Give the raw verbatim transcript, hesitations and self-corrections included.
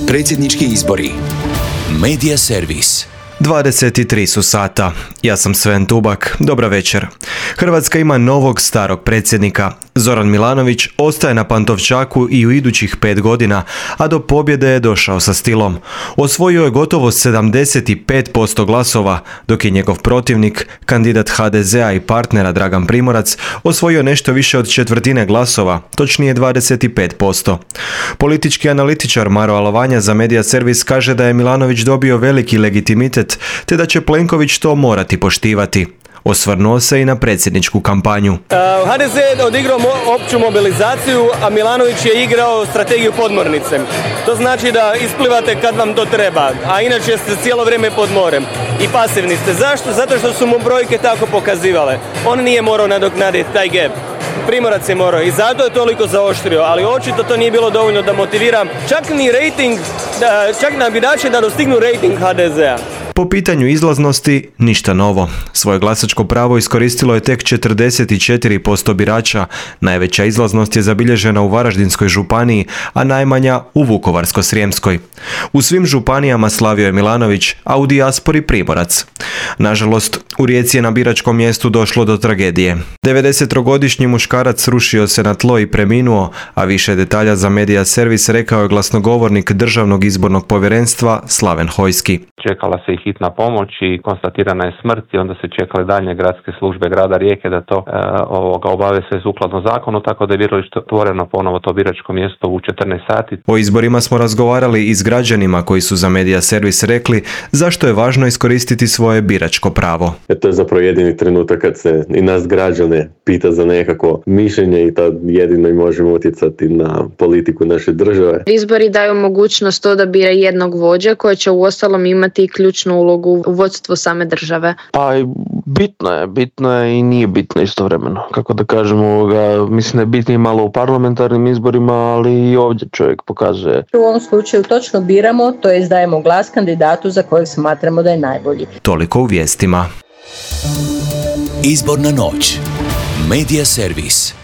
Predsjednički izbori. Medija servis. dvadeset tri su sata. Ja sam Sven Tubak. Dobra večer. Hrvatska ima novog starog predsjednika. Zoran Milanović ostaje na Pantovčaku i u idućih pet godina, a do pobjede je došao sa stilom. Osvojio je gotovo sedamdeset pet posto glasova, dok je njegov protivnik, kandidat ha de zea i partnera Dragan Primorac, osvojio nešto više od četvrtine glasova, točnije dvadeset pet posto. Politički analitičar Maro Alovanja za Medija servis kaže da je Milanović dobio veliki legitimitet, te da će Plenković to morati poštivati. Osvrnuo se i na predsjedničku kampanju. ha de ze je odigrao opću mobilizaciju, a Milanović je igrao strategiju podmornice. To znači da isplivate kad vam to treba, a inače ste cijelo vrijeme pod morem. I pasivni ste. Zašto? Zato što su mu brojke tako pokazivale. On nije morao nadoknaditi taj gap. Primorac je morao i zato je toliko zaoštrio, ali očito to nije bilo dovoljno da motivira čak ni rating, čak na birače da dostignu rating ha de zea. Po pitanju izlaznosti, ništa novo. Svoje glasačko pravo iskoristilo je tek četrdeset četiri posto birača. Najveća izlaznost je zabilježena u Varaždinskoj županiji, a najmanja u Vukovarsko-srijemskoj. U svim županijama slavio je Milanović, a u dijaspori Primorac. Nažalost, u Rijeci je na biračkom mjestu došlo do tragedije. devedesettrogodišnji muškarac srušio se na tlo i preminuo, a više detalja za Medija servis rekao je glasnogovornik Državnog izbornog povjerenstva Slaven Hojski. Čekala se i hitna pomoć i konstatirana je smrt i onda se čekale daljnje gradske službe grada Rijeke da to e, ovoga, obave sve sukladno zakonu, tako da je biralište otvoreno ponovo to biračko mjesto u četrnaest sati. O izborima smo razgovarali i s građanima koji su za Medija servis rekli zašto je važno iskoristiti svoje biračko pravo. E to je zapravo jedini trenutak kad se i nas građane pita za nekako mišljenje i tad jedino i možemo utjecati na politiku naše države. Izbori daju mogućnost to da bira jednog vođa koji će uostalom imati ključnu ulogu u vodstvu same države. Pa bitno je, bitno je i nije bitno istovremeno. Kako da kažemo, ovoga, mislim da je bitnije malo u parlamentarnim izborima, ali i ovdje čovjek pokazuje. U ovom slučaju točno biramo, to jest dajemo glas kandidatu za kojeg smatramo da je najbolji. Toliko u vijestima. Izborna noć. Medija servis.